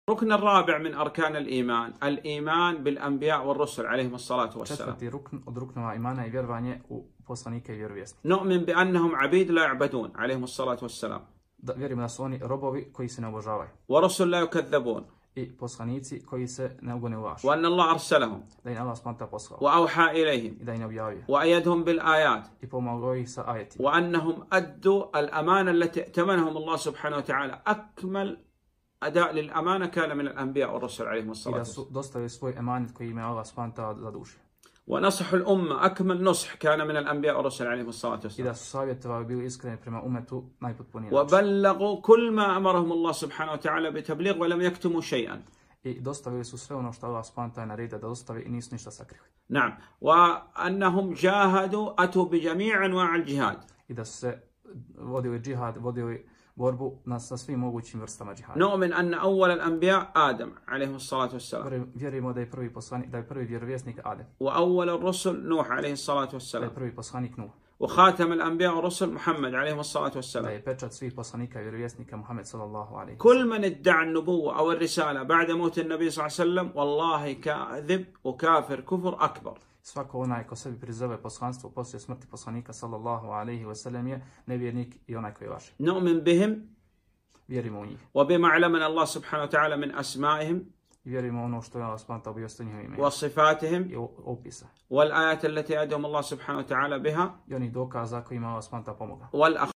الركن الرابع من أركان الإيمان بالأنبياء والرسل عليهم الصلاة والسلام. Četvrti rukn od ruknova imana je vjerovanje u poslanike i vjerovjesnike. نؤمن بأنهم عبيد لا يعبدون عليهم الصلاة والسلام. Vjerujemo da su oni robovi koji se ne obožavaju. ورسل لا يكذبون. I poslanici koji se ne ugone u laž. وأن الله أرسلهم. Da im Allah smanta poslao. وأوحى إليهم. I da im objavio. وأيدهم بالآيات. I pomogao ih sa ajetima. وأنهم أدوا الأمانة التي ائتمنهم الله سبحانه وتعالى. أكمل أداء للأمانة كان من الأنبياء والرسل عليهم الصلاة والسلام. I da su dostavili svoj emanet koji im je Allah smanta zadužio. ونصح الأمة أكمل نصح كان من الأنبياء والرسل عليهم الصلاة والسلام. I da su savjetovali bili iskreni prema umetu najpotpuniji. وبلغوا كل ما أمرهم الله سبحانه وتعالى بتبليغ ولم يكتموا شيئا. I dostavili su sve ono što Allah smanta je naredio da dostave i nisu ništa sakrili. نعم وأنهم جاهدوا أتوا بجميع أنواع الجهاد. I da su se vodili džihad, vodili borbu sa svim mogućim vrstama džihada. نؤمن أن أول الأنبياء آدم عليه الصلاة والسلام. Vjerujemo da je prvi poslanik, da je prvi vjerovjesnik Adem. وأول الرسل نوح عليه الصلاة Da والسلام. je prvi poslanik Nuh. وخاتم الأنبياء والرسل محمد عليه الصلاة Da والسلام. je pečat svih poslanika i vjerovjesnika Muhammed sallallahu alejhi. كل من ادعى النبوة أو الرسالة بعد موت النبي صلى الله عليه وسلم والله كاذب وكافر كفر أكبر. Svako onaj ko sebi prizove poslanstvo poslije smrti poslanika sallallahu alejhi ve sellem je nevjernik i onaj koji laže. نؤمن بهم. Vjerujemo u njih. وبما علمنا الله سبحانه وتعالى من أسمائهم. I vjerujemo ono što je Allah smanta objavio njihovim imenima. وصفاتهم. I opisa. والآيات التي أدهم الله سبحانه وتعالى بها. I onih dokaza kojima Allah smanta pomogao.